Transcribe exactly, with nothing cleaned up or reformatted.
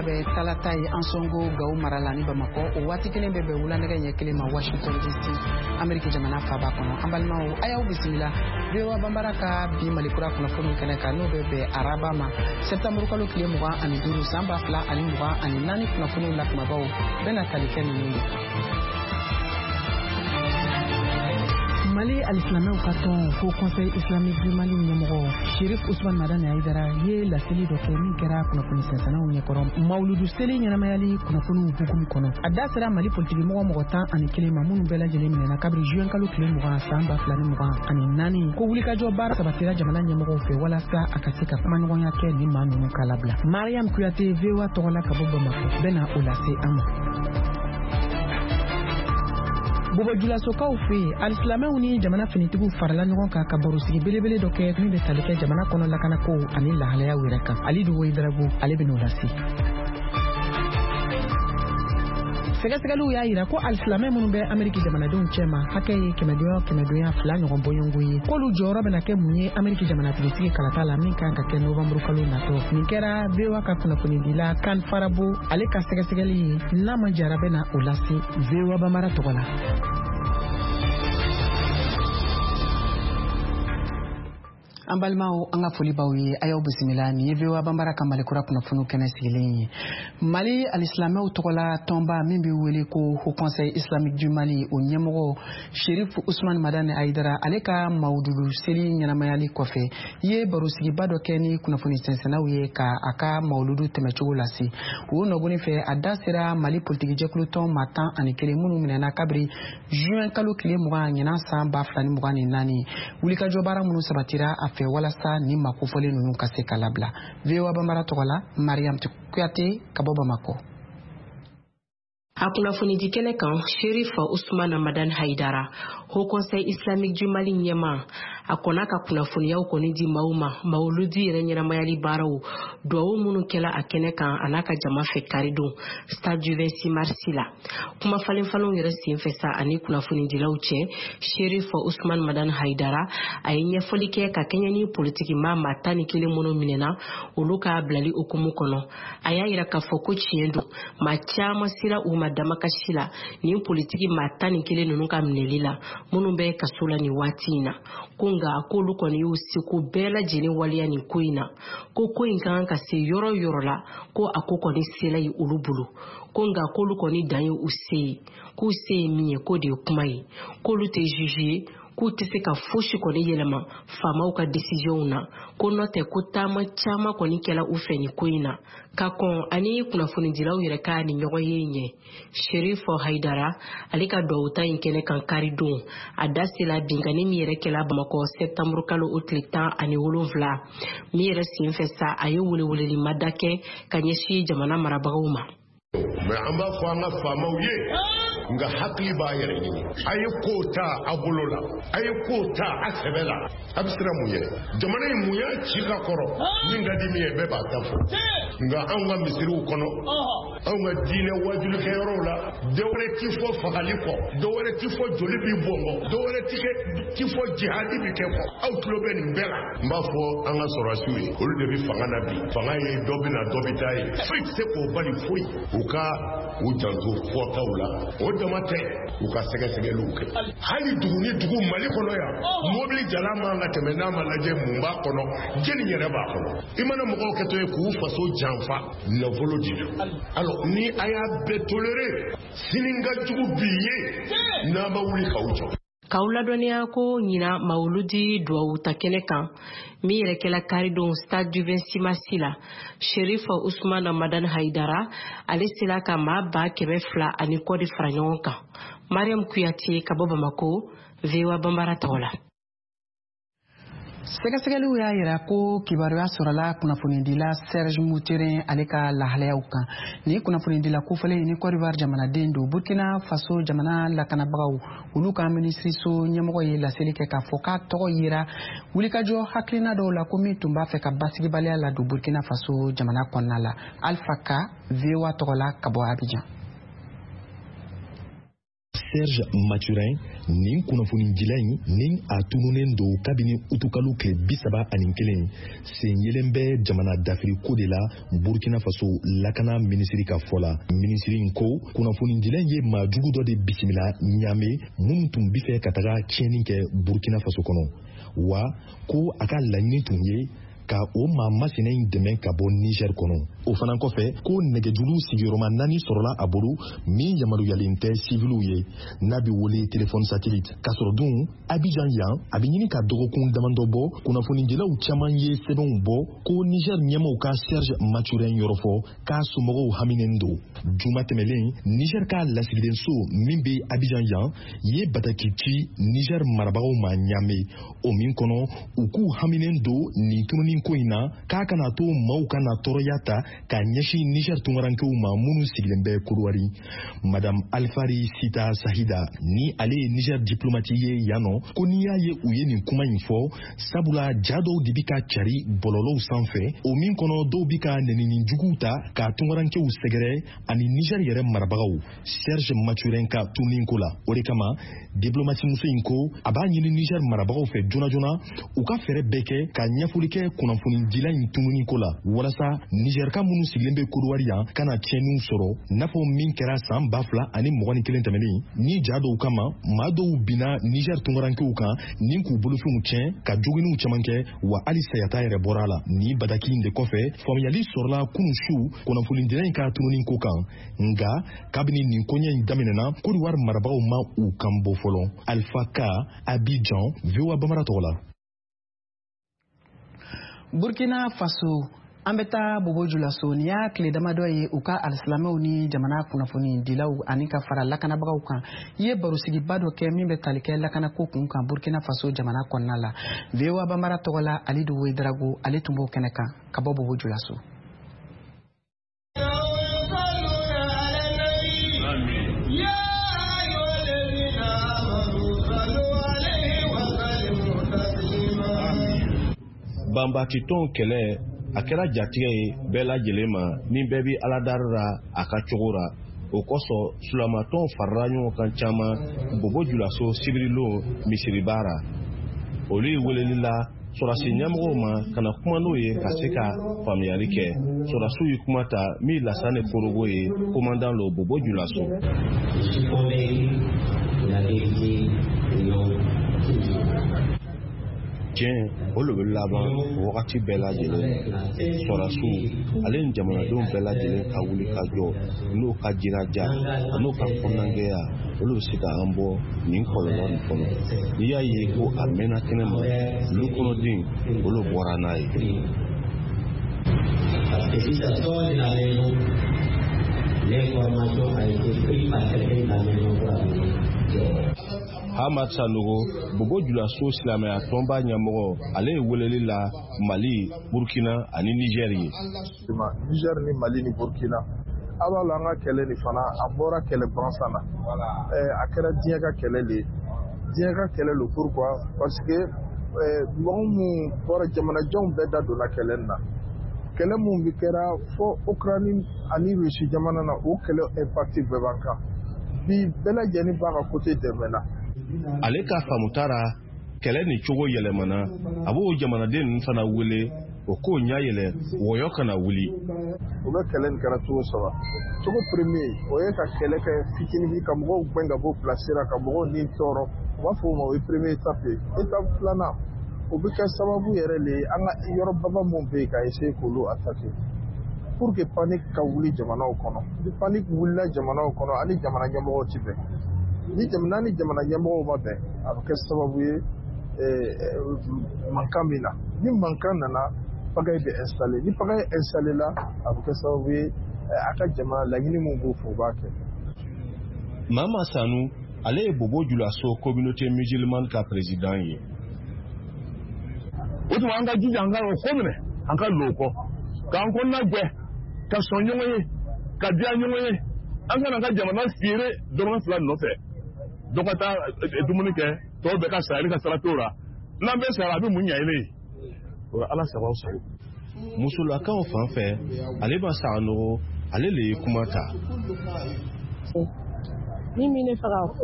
bɛ talata ye Ansongo Gawo mara la ni Bamakɔ. O waati kelen bɛ bɛn wulanɛgɛ ɲɛ kelen ma Washington D C, Ameriki jamana faaba kɔnɔ. An balimaw, a y'aw bisimila V O A Banbara ka bi Malikura kunnafoniw kɛnɛ kan, n'o bɛ bɛn araba ma, sɛptanburu kalo tile mugan ani duuru san ba fila ani mugan ani naani. Kunnafoniw la kumabaw bɛna tali kɛ ninnu de kan. Mali alisilamɛw ka tɔn Haut Conseil Islamique du Mali ɲɛmɔgɔ Sherif Usman Madani Hayidara ye laseli dɔ kɛ min kɛra kunnafoni sɛnsɛnnaw ɲɛkɔrɔ mawuludu seli ɲɛnamayali kunnafoniw hukumu kɔnɔ. A da sera Mali politikimɔgɔ mɔgɔ tan ani kelen ma, minnu bɛɛ lajɛlen minɛna kabiri juin kalo tile mugan san ba fila ni mugan ani naani, ko wulikajɔ baara sabatira jamana ɲɛmɔgɔw fɛ walasa a ka se ka kumaɲɔgɔnya kɛ ni maa ninnu ka labila. Mariam Kuyate, V O A tɔgɔ la ka bɔ Bamakɔ, bɛna o lase an ma. Bobajulasokaw fɛ yen, alisilamɛw ni jamana finitigiw farala ɲɔgɔn kan ka barosigi belebele dɔ kɛ min bɛ tali kɛ jamana kɔnɔ lakanako ani lahalayaw yɛrɛ kan. Alidu Woyidarago, ale bɛ n'o lase. Sɛgɛsɛgɛliw y'a yira ko alisilamɛ minnu bɛ Ameriki jamanadenw cɛma, hakɛ ye kɛmɛdonya kɛmɛdonya fila ɲɔgɔn bɔɲɔgɔnko ye, k'olu jɔyɔrɔ bɛna kɛ mun ye Ameriki jamanatigisigi kalata la min kan ka kɛ novanburu kalo natɔ. Nin kɛra V O A ka kunnafonidila Kan Farabo ale ka sɛgɛsɛgɛli ye. N'a ma jara, bɛna o lase V O A Bamara tɔgɔ la. An balimaw, an ka foli b'aw ye, a y'aw bisimila. Nin ye V O A Banbara ka Malikura kunnafoniw kɛnɛ sigilen ye. Mali alisilamɛw tɔgɔla tɔnba min bɛ wele ko Haut Conseil Islamique du Mali, o ɲɛmɔgɔ Sherif Usman Madani Hayidara, ale ka mawududu seli ɲɛnamayali kɔfɛ, ye barosigiba dɔ kɛ ni kunnafoni sɛnsɛnnaw ye ka a ka mawuludu tɛmɛcogo lase. O nɔgɔni fɛ, a da sera Mali politikijɛkulu tɔn maa tan ani kelen minnu minɛna kabiri juin kalo tile mugan ɲinan san ba fila ni mugan ni naani, wulikajɔ baara minnu sabatira a fɛ walasa ni maa kofɔlen ninnu ka se ka labila. V O A Banbara tɔgɔ la, Mariam Kuyate ka bɔ Bamakɔ. A kunnafonidi kɛnɛ kan, Sherif Usman Madan Haidara, Haut Conseil Islamique du Mali ɲɛma, a kɔnna ka kunnafoniyaw kɔni di maaw ma mawuludi yɛrɛ ɲɛnamayali baaraw duwawu minnu kɛla a kɛnɛ kan a n'a ka jama fɛ karidon stade du vingt-six mars la. Kuma falen falenw yɛrɛ sen fɛ sa ani kunnafonidilaw cɛ, Sherif Usman Madan Haidara a ye ɲɛfɔli kɛ ka kɛɲɛ ni politiki maa maa tan ni kelen minnu minɛna, olu ka bilali hukumu kɔnɔ. A y'a yira k'a fɔ ko tiɲɛ don, maa caman sera u ma damakasi la nin politiki maa tan ni kelen ninnu ka minɛli la, minnu bɛ kaso la nin waati in na, ko nka k'olu kɔni y'u seko bɛɛ lajɛlen waleya nin ko in na, ko ko in ka kan ka se yɔrɔ yɔrɔ la, ko a ko kɔni sela ye olu bolo, ko nka k'olu kɔni dan ye u se ye, k'u se ye min ye k'o de ye kuma ye, k'olu tɛ juge ye, k'u tɛ se ka fosi kɔni yɛlɛma faamaw ka décisionw na, ko nɔ tɛ ko taama caman kɔni kɛla u fɛ nin ko in na. Ka kɔn ani kunnafonidilaw yɛrɛ ka ni ɲɔgɔn ye ɲɛ, Sherif Haidara ale ka duwawuta in kɛnɛ kan karidon, a da sela binkanni min yɛrɛ kɛla Bamakɔ sɛptanburu kalo o tile tan ani wolonfila min yɛrɛ senfɛ sa, a ye weleweleli mada kɛ ka ɲɛsin jamana marabagaw ma. Mɛ an b'a fɔ an ka faamaw ye, nka hakili b'a yɛrɛ ɲini. A ye kow ta a bolo la, a ye kow ta a sɛbɛ la. A bɛ siran mun ye? Jamana in, mun y'a ci ka kɔrɔ? Min ka di min ye, bɛɛ b'a ta fɔ. Nka anw ka misiriw kɔnɔ, anw ka diinɛ wajulikɛyɔrɔw la, dɔwɛrɛ ti fɔ fagali kɔ, dɔwɛrɛ ti fɔ joli bi bɔn kɔ, dɔwɛrɛ ti kɛ ti fɔ jihadi bi kɛ kɔ. Aw tulo bɛ nin bɛɛ la. N b'a fɔ an ka sɔrɔdasiw ye, olu de bɛ fanga na bi. Fanga ye dɔ bɛ na, dɔ bɛ taa ye, foyi tɛ se k'o bali, foyi. U ka u janto fɔtaw la, o dama tɛ, u ka sɛgɛsɛgɛliw kɛ. Hali dugu ni dugu Mali kɔnɔ yan, mobili jala man ka tɛmɛ n'a ma lajɛ mun b'a kɔnɔ, jɛni yɛrɛ b'a kɔnɔ. I mana mɔgɔw kɛtɔ ye k'u faso janfa nafolo de la, alors ni a y'a bɛɛ toléré, sini ka jugu bi ye n'a ma wuli k'aw jɔ. K'aw ladɔnniya ko ɲina mawuludi duwawu ta kɛnɛ kan min yɛrɛ kɛla karidon stade du vingt-six mars la, Sherif Usman Madan Haidara ale sela ka maa ba kɛmɛ fila ani kɔ de fara ɲɔgɔn kan. Mariam Kuyate ka bɔ Bamako, V O A Banbara tɔgɔ la. Sɛgɛsɛgɛliw y'a yira ko kibaruya sɔrɔla kunnafonidila Serge Moutherin ale ka lahalayaw kan. Ni kunnafonidila kofɔlen ni Côte d'Ivoire jamanaden don, Burkina Faso jamana lakanabagaw, olu ka minisiriso ɲɛmɔgɔ ye laseli kɛ k'a fɔ k'a tɔgɔ yira wulikajɔ hakilina dɔw la, ko min tun b'a fɛ ka basigibaliya ladon Burkina Faso jamana kɔnɔna la. Alpha Ka, V O A tɔgɔ la ka bɔ Abidjan. Serge Mathurin, nin kunnafonidila in ni a tununnen don kabini utukalo tile bi saba ani kelen, sen yelen bɛ jamana dafiri ko de la Burkina Faso lakana minisiri ka fɔ la. Minisiri in ko kunnafonidila in ye maa jugu dɔ de bisimila Ɲame minnu tun bɛ fɛ ka taga tiɲɛni kɛ Burkina Faso kɔnɔ, wa ko a ka laɲini tun ye ka o maa masina in dɛmɛ ka bɔ Niger kɔnɔ. O fana kɔfɛ, ko nɛgɛjuru sigiyɔrɔma naani sɔrɔla a bolo min yamaruyalen tɛ siviliw ye, n'a bɛ wele telefɔni satellite. K'a sɔrɔ dun Abidjan yan, a bɛ ɲini ka dɔgɔkun damadɔ bɔ, kunnafonidilaw caman ye sɛbɛnw bɔ ko Niger ɲɛmaaw ka Serge Mathurin yɔrɔ fɔ k'a somɔgɔw haminen don. Juma tɛmɛlen, Niger ka lasigidenso min bɛ Abidjan yan ye bataki ci Niger marabagaw ma Ɲame, o min kɔnɔ u k'u haminen don nin tununi ko in na, k'a kana to maaw kana tɔɔrɔya ta k'a ɲɛsin Niger tunkarankew ma minnu sigilen bɛ Kodowari. Madame Alfari Sita Sahida, ni ale ye Niger diplomate ye yan nɔ, ko n'i y'a ye u ye nin kuma in fɔ, sabula ja dɔw de bi ka cari bɔlɔlɔw sanfɛ, o min kɔnɔ dɔw bi ka nɛnini juguw ta ka tunkarankew sɛgɛrɛ ani Niger yɛrɛ marabagaw Serge Mathurin ka tununi ko la. O de kama diplomate muso in ko a b'a ɲini Niger marabagaw fɛ joona joona u ka fɛɛrɛ bɛɛ kɛ ka ɲɛfɔli kɛ kunnafonidila in tununi ko la, walasa Niger ka minnu sigilen bɛ Kodowari yan kana tiɲɛniw sɔrɔ, n'a fɔ min kɛra san ba fila ani mugan ni kelen tɛmɛnen, ni ja dɔw kama maa dɔw binna Niger tunkarankew kan ni k'u bolofɛnw tiɲɛ ka joginniw caman kɛ, wa hali sayata yɛrɛ bɔra a la. Nin bataki in de kɔfɛ, faamuyali sɔrɔla kunun su kunnafonidila in ka tununi ko kan, nka kabini nin koɲɛ in daminɛna, Kodowari marabagaw ma u kan bɔ fɔlɔ. Alpha Ka, Abidjan, V O A Bambara tɔgɔ la. Burkina Faso, an bɛ taa Bobo Julaso. Nin y'a tile damadɔ ye u ka alisilamɛw ni jamana kunnafonidilaw ani ka fara lakanabagaw kan i ye barosigiba dɔ kɛ min bɛ tali kɛ lakanako kun kan Burkina Faso jamana kɔnɔna la. V O A Bambara tɔgɔ la, Alidu Wedrago, ale tun b'o kɛnɛ kan ka bɔ Bobo Julaso. Banbatitɔn kɛlɛ a kɛra jatigɛ ye bɛɛ lajɛlen ma ni bɛɛ bɛ aladari ra a ka cogo ra. O kosɔn sulamatɔn farala ɲɔgɔn kan caman Bobo Julaso sibirilon misiriba ra. Olu ye weleli la sɔrɔdasi ɲɛmɔgɔw ma ka na kuma n'o ye ka se ka faamuyali kɛ. Sɔrɔdasiw ye kuma ta min Lasane Korogo ye, commandant lo Bobo Julaso. Tiɲɛ o le bɛ laban wagati bɛɛ lajɛlen. Sɔrɔdasiw ale ni jamanadenw bɛɛ lajɛlen ka wuli ka jɔ n'o ka jiraja n'o ka kɔnɔnagɛya, olu bɛ se ka an bɔ nin kɔlɔlɔ nin kɔnɔ. N'i y'a ye ko a mɛnna kɛnɛ ma, olu kɔnɔden olu bɔra n'a ye. Hamad Sanogo, Bobo Julaso silamɛya tɔnba ɲɛmɔgɔ, ale ye weleli la Mali, Burkina ani Niger ye. Niger ni Mali ni Burkina, a b'a la an ka kɛlɛ nin fana a bɔra kɛlɛ gansan na. A kɛra diɲɛ ka kɛlɛ de ye. Diɲɛ ka kɛlɛ lo pourquoi? Parce que mɔgɔ mun bɔra jamanajanw bɛɛ da donna kɛlɛ nin na. Kɛlɛ mun bi kɛra fo Ukraine ani Russie jamana na, o kɛlɛ impact bɛɛ b'an kan. Bi bɛɛ lajɛlen b'a ka côté dɛmɛ na. Ale ka faamuta ra, kɛlɛ nin cogo yɛlɛmana, a b'o jamanaden ninnu fana wele o k'o ɲɛ yɛlɛ wɔyɔ kana wuli. U bɛ kɛlɛ nin kɛra cogo saba. Cogo premier, o ye ka kɛlɛ kɛ fitinin ka mɔgɔw gɛn ka bɔ place la, ka mɔgɔw ni tɔɔrɔ. U b'a fɔ o ma o ye premier étape ye. Étape filanan, o bɛ kɛ sababu yɛrɛ le ye an ka yɔrɔbaba mun bɛ yen ka essayer k'olu attaquer pour que panique ka wuli jamanaw kɔnɔ. Ni panique wulila jamanaw kɔnɔ, ani jamana ɲɛmɔgɔw ti bɛn. Ni jamana ni jamana ɲɛmɔgɔw ma bɛn, a bɛ kɛ sababu ye mankan min na. Ni mankan nana, pagaille bɛ installer. Ni pagaille installer la, a bɛ kɛ sababu ye a ka jamana laɲini min b'o fɛ, o b'a kɛ. Mama Sanu, ale ye Bobo Julaso communauté musulmane ka président ye. O tuma an ka jija an ka o ko minɛ, an ka lo kɔ, k'an kɔnɔna jɛ, ka sɔn ɲɔgɔn ye, ka diya ɲɔgɔn ye. An kana ka jamana feere dɔrɔmɛ fila nɔfɛ. Dɔ ka taa dumuni kɛ, tɔw bɛɛ ka sa, ale ka sara t'o la. N'an bɛɛ sara, a bɛ mun ɲɛ e ye? O la Ala sago aw sago. Musolakaw fan fɛ, ale ma Sanogo, ale le ye kuma ta. Min bɛ ne fɛ k'a fɔ